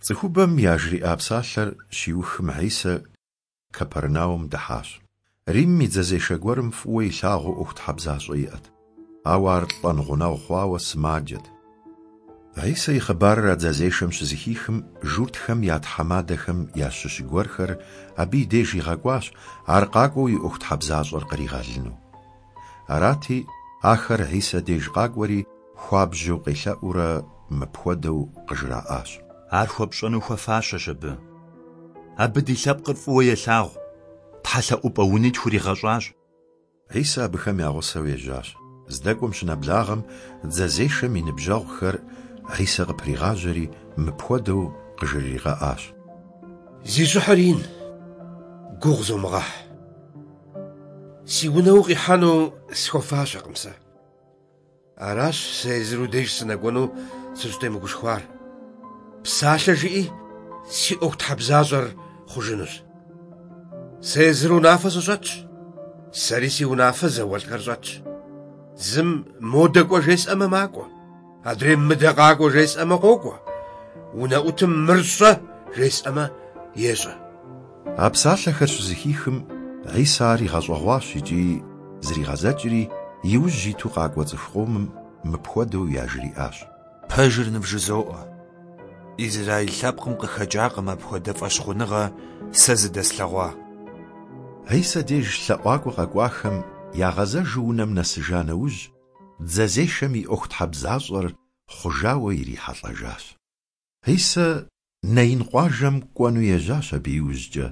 Цӏыхубэм яжриӏа псалъэр щиухым Хьисэ Капернаум дыхьащ. Рим и дзэзешэ гуэрым фӏыуэ илъагъуу ӏуэхутхьэбзащӏэ иӏэт, ауэ ар лӏэн гъунэгъу хъуауэ сымаджэт. Хьисэ и хъыбарыр а дзэзешэм щызэхихым, журтхэм я тхьэмадэхэм ящыщ гуэрхэр абы и деж игъэкӏуащ, ар къакӏуэу и ӏуэхутхьэбзащӏэр къригъэлыну. Арати, ахэр Хьисэ деж къакӏуэри, хуабжьу къелъэӏуурэ мыпхуэдэу къыжраӏащ. Ар хуэпщӏэну хуэфащэщ абы. Абы ди лъэпкъыр фӏыуэ елъагъу, тхьэлъэӏупӏэ уни тхуригъэщӏащ. Хьисэ абыхэм я гъусэу ежьащ. Здэкӏуэм щынэблагъэм, дзэзешэм и ныбжьэгъухэр Хьисэ къыпригъажьэри, мыпхуэдэу къыжрыригъэӏащ. Зи щӏыхьыр ин, гугъу зомыгъэхь. Си унэ укъихьэну схуэфащэкъым сэ. Аращ сэ езыр уи деж сынэкӏуэну сыщӏытемыгушхуар. Псалъэ жыӏи, си ӏуэхутхьэбзащӏэр хъужынущ. Сэ езыр унафэ сыщӏэтщ, сэри си унафэ зауэлӏхэр щӏэтщ. Зым модэ кӏуэ жесӏэмэ, макӏуэ, адрейм мыдэ къакӏуэ жесӏэмэ, къокӏуэ, унэӏутым мыр щӏэ жесӏэмэ, ещӏэ. А псалъэхэр щызэхихым, Хьисэ ар игъэщӏэгъуащ икӏи зригъэзэкӏри, и ужь иту къакӏуэ цӏыху къомым мыпхуэдэу яжриӏащ. Пэжыр нывжызоӏэ, Израил лъэпкъым къыхэкӏакъым апхуэдэ фӏэщхъуныгъэ сэ зыдэслъэгъуа. Хьисэ деж лъэӏуакӏуэ къэкӏуахэм ягъэзэжу унэм нэсыжа нэужь, дзэзешэм и ӏуэхутхьэбзащӏэр хъужауэ ирихьэлӏэжащ. Хьисэ Наин къуажэм кӏуэну ежьащ абы иужькӏэ,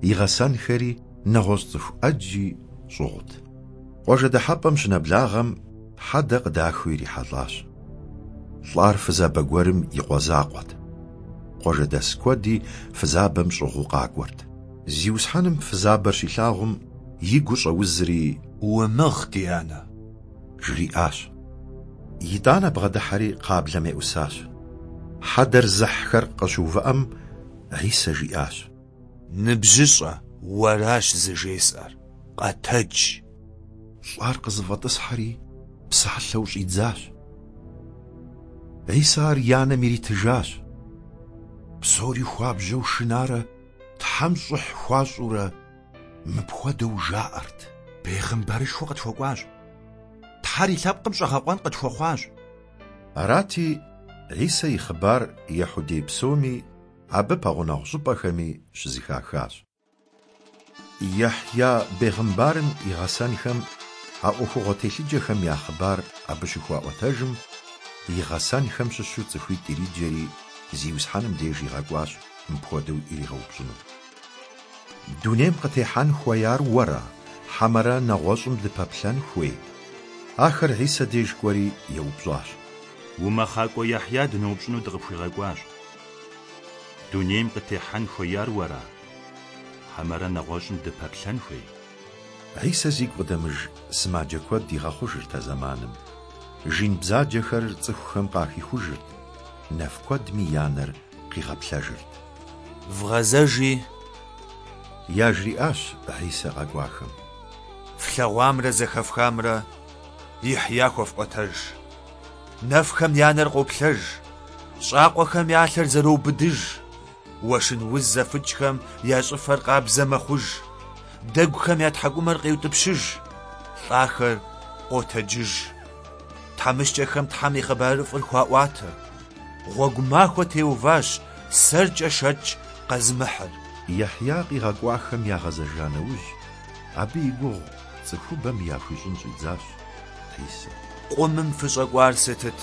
и гъэсэнхэри нэгъуэщӏ цӏыху ӏэджи щӏыгъут. Къуажэ дыхьэпӏэм щынэблагъэм хьэдэ къыдахыу ирихьэлӏащ. Лӏар фызабэ гуэрым и къуэ закъуэт. Къуажэдэс куэди фызабэм щӏыгъуу къакӏуэрт. Зиусхьэным фызабэр щилъагъум, и гур щӏэузри. Умыгъ, ди анэ! Жриӏащ. Итӏанэ бгъэдыхьэри кхъаблэм еӏусащ. Хьэдэр зыхьхэр къыщыувыӏэм, Хьисэ жиӏащ. Ныбжьыщӏэ, уэращ зыжесӏэр, къэтэдж! Лӏар къызэфӏэтӏысхьэри, псалъэу щӏидзащ. Хьисэ ар и анэм иритыжащ. Псори хуабжьэу шынарэ Тхьэм щӏыхь хуащӏурэ мыпхуэдэу жаӏэрт. Бегъымбарышхуэ къытхуэкӏуащ. Тхьэр и лъэпкъым щӏэгъэкъуэн къытхуэхъуащ. Арати, Хьисэ и хъыбар Ехьудей псоми, абы пэгъунэгъу щӏыпӏэхэми щызэхахащ. Яхья бегъымбарым и гъэсэнхэм а ӏуэхугъуэ телъыджэхэм я хъыбар абы щыхуаӏуэтэжым, и гъэсэнхэм щыщу цӏыхуитӏ ириджэри, Зиусхьэным деж игъэкӏуащ мыпхуэдэу иригъэупщӏыну. Дунейм къытехьэн хуеяр уэра, хьэмэрэ нэгъуэщӏым дыпэплъэн хуей? Ахэр Хьисэ деж кӏуэри еупщӏащ. Умэхъакӏуэ Яхья дыноупщӏыну дыкъыпхуигъэкӏуащ. Дунейм къытехьэн хуеяр уэра, хьэмэрэ нэгъуэщӏым дыпэплъэн хуей? Хьисэ зигу къыдэмыж сымаджэ куэд игъэхъужырт а зэманым. Жин бзаджэхэр цӏыхухэм къахихужырт, нэф куэдми я нэр къигъэплъэжырт. Вгъэзэжи. Яжриӏащ Хьисэ къэкӏуахэм. Флъэгъуамрэ зэхэфхамрэ Яхья хуэфӏуэтэж. Нэфхэм я нэр къоплъэж, щӏакъуэхэм я лъэр зэроубыдыж, уэшын уз зэфыкӏхэм я щӏыфэр къабзэ мэхъуж, дэгухэм я тхьэкӏумэр къеутӏыпщыж, лӏахэр къотэджыж. Тхьэмыщкӏэхэм Тхьэм и хъыбарыфӏыр хуаӏуатэ. Гъуэгу махуэ теуващ сэркӏэ шэч къэзымыхьыр. Яхья къигъэкӏуахэм ягъэзэжа нэужь, абы и гугъу цӏыхубэм яхуищӏын щӏидзащ Хьисэ. Къумым фыщӏэкӏуар сытыт?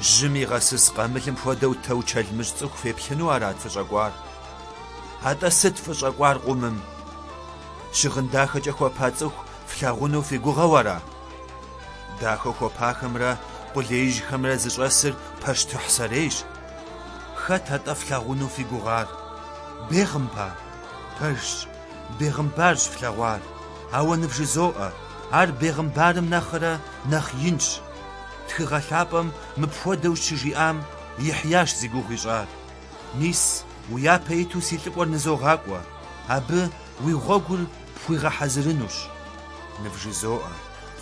Жьым игъэсыс къамылым хуэдэу тэучэлмыщӏ цӏыху феплъыну арат фыщӏэкӏуар? Атӏэ сыт фыщӏэкӏуар къумым? Щыгъын дахэкӏэ хуэпа цӏыху флъагъуну фи гугъэу ара? Дахэу хуэпахэмрэ къулеижьхэмрэ зыщӏэсыр пащтыхь сэрейщ. Хэт атӏэ флъагъуну фи гугъар? Бегъымбар? Пэжщ, бегъымбарщ флъэгъуар, ауэ нывжызоӏэ, ар бегъымбарым нэхърэ нэхъ инщ. Тхыгъэ лъапӏэм мыпхуэдэу щыжиӏам Яхьящ зи гугъу ищӏар. Мис, уи япэ иту си лӏыкӏуэр нызогъакӏуэ, абы уи гъуэгур пхуигъэхьэзырынущ. Нывжызоӏэ,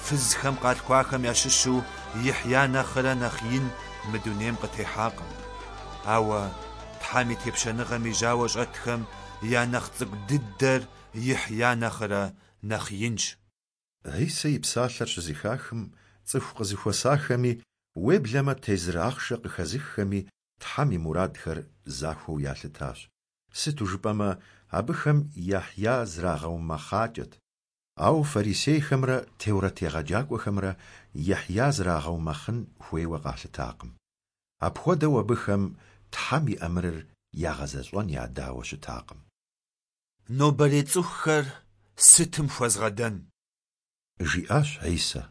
фызхэм къалъхуахэм ящыщу Яхья нэхърэ нэхъ ин мы дунейм къытехьакъым. Ауэ. Тхьэм и Тепщэныгъэм и жьауэ щӏэтхэм я нэхъ цӏыкӏу дыдэр Яхья нэхърэ нэхъ инщ. Хьисэ и псалъэр щызэхахым, цӏыху къызэхуэсахэми, уеблэмэ тезыр ахъшэ къыхэзыххэми Тхьэм и мурадхэр захуэу ялъытащ, сыту жыпӏэмэ абыхэм Яхья зрагъэумэхъакӏэт. Ауэ фарисейхэмрэ теурэт егъэджакӏуэхэмрэ Яхья зрагъэумэхъын хуейуэ къалъытакъым. Апхуэдэу абыхэм Тхьэм и ӏэмырыр ягъэзэщӏэн ядауэ щытакъым. Нобэрей цӏыхухэр сытым хуэзгъэдэн? Жиӏащ Хьисэ.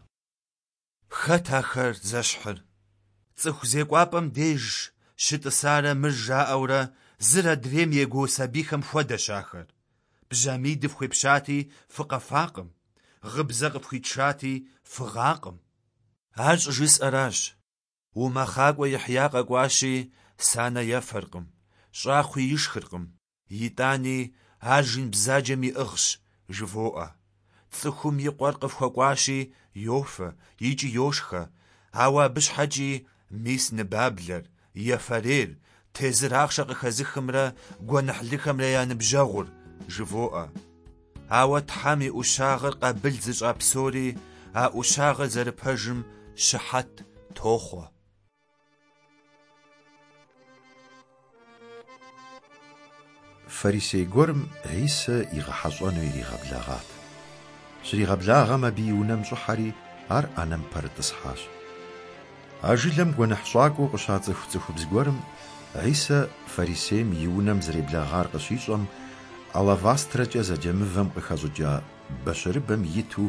Хэт ахэр зэщхьыр? Цӏыху зекӏуапӏэм деж щытӏысарэ мыр жаӏэурэ зыр адрейм егуо сабийхэм хуэдэщ ахэр. Бжьамий дыфхуепщати, фыкъэфакъым, гъыбзэ къыфхуитшати, фыгъакъым. Ар щӏыжысӏэращ. Умэхъакӏуэ Яхья къэкӏуащи, санэ ефэркъым, щӏакхъуи ишхыркъым, итӏани ар жин бзаджэм иӏыгъщ, жывоӏэ. Цӏыхум и къуэр къыфхуэкӏуащи, йофэ икӏи йошхэ, ауэ абы щхьэкӏи мис ныбаблэр, ефэрейр, тезыр ахъшэ къыхэзыхымрэ гуэныхьлыхэмрэ я ныбжьэгъур, жывоӏэ. Ауэ Тхьэм и ӏущагъыр къабыл зыщӏа псори а ӏущагъыр зэрыпэжым щыхьэт тохъуэ. Фарисей гуэрым Хьисэ игъэхьэщӏэну иригъэблэгъат. Щригъэблагъэм абы и унэм щӏыхьэри, ар ӏэнэм пэрытӏысхьащ. А жылэм гуэныхьщӏакӏуэу къыщацӏыху цӏыхубз гуэрым Хьисэ фарисейм и унэм зэреблэгъар къыщищӏэм, алавастрэкӏэ зэджэ мывэм къыхэщӏыкӏа бащырыбэм иту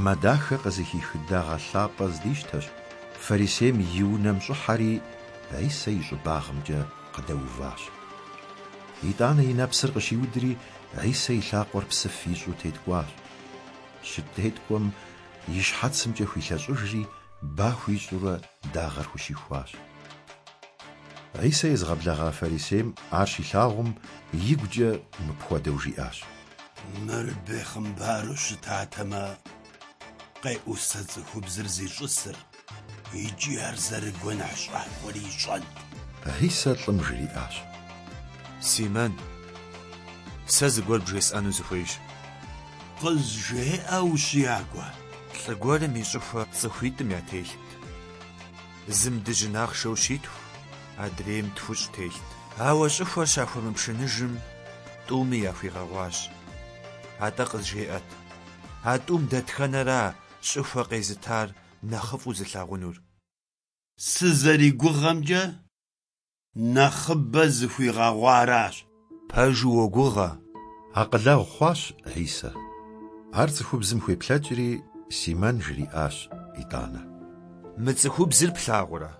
мэ дахэ къызыхих дагъэ лъапӏэ здищтэщ, фарисейм и унэм щӏыхьэри, Хьисэ и щӏыбагъымкӏэ къыдэуващ. Итӏанэ и нэпсыр къыщиудри, Хьисэ и лъакъуэр псыф ищӏу теткӏуащ. Щытеткӏуэм и щхьэцымкӏэ хуилъэщӏыжри, ба хуищӏурэ дагъэр хущихуащ. Хьисэ езыгъэблэгъа фарисейм ар щилъагъум, игукӏэ мыпхуэдэу жиӏащ. Мыр бехъымбару щытатэмэ, къеӏусэ цӏыхубзыр зищӏысыр икӏи ар зэрыгуэныхьщӏакӏуэри ищӏэнт. Хьисэ лӏым жриӏащ. Симэн, сэ зыгуэр бжесӏэну сыхуейщ. Къызжеӏэ, ущиякӏуэ. Лӏы гуэрым и щӏыхуэ цӏыхуитӏым ятелът. Зым дыжьын ахъшэу щитху, адрейм тхущӏ телът. Ауэ щӏыхуэр щахуэмыпшыныжым, тӏуми яхуигъэгъуащ. Атӏэ къызжеӏэт, а тӏум дэтхэнэра щӏыхуэ къезытар нэхъыфӏу зылъагъунур? Сызэригугъэмкӏэ, нэхъыбэ зыхуигъэгъуаращ. Пэжу уогугъэ. Акъылэгъу хъуащ Хьисэ. Ар цӏыхубзым хуеплъэкӏри, Симэн жриӏащ итӏанэ. Мы цӏыхубзыр плъагъурэ?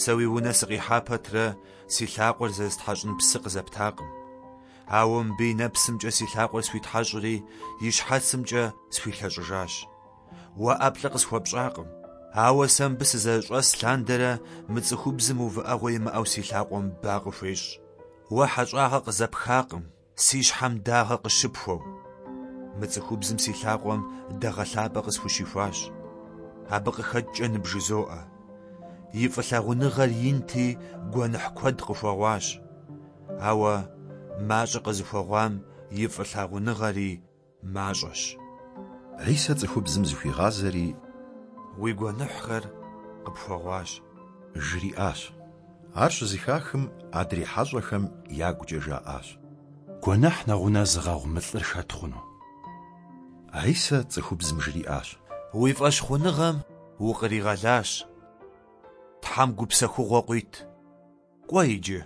Сэ уи унэ сыкъихьа пэтрэ си лъакъуэр зэрыстхьэщӏын псы къызэптакъым. Ауэ мыбы и нэпсымкӏэ си лъакъуэр схуитхьэщӏри, и щхьэцымкӏэ схуилъэщӏыжащ. Уэ ӏэплӏэ къысхуэпщӏакъым, ауэ сэ мыбы сызэрыщӏэс лъандэрэ мы цӏыхубзым увыӏэгъуэ имыӏэу си лъакъуэм ба къыхуещӏ. Уэ хьэщӏагъэ къызэпхакъым, си щхьэм дагъэ къыщыпхуэу. Мы цӏыхубзым си лъакъуэм дагъэ лъапӏэ къысхущихуащ. Абы къыхэкӏкӏэ ныбжызоӏэ. И фӏылъагъуныгъэр инти, гуэныхь куэд къыхуэгъуащ. Ауэ мащӏэ къызыхуэгъуам и фӏылъагъуныгъэри мащӏэщ. Хьисэ цӏыхубзым зыхуигъазэри, Уи гуэныхьхэр къыпхуэгъуащ. Жриӏащ. Ар щызэхахым, адрей хьэщӏэхэм ягукӏэ жаӏащ. Гуэныхь нэгъунэ зыгъэгъу мы лӏыр хэт хъуну? Хьисэ цӏыхубзым жриӏащ. Уи фӏэщхъуныгъэм укъригъэлащ. Тхьэм гупсэхугъуэ къуит. Кӏуэ иджы.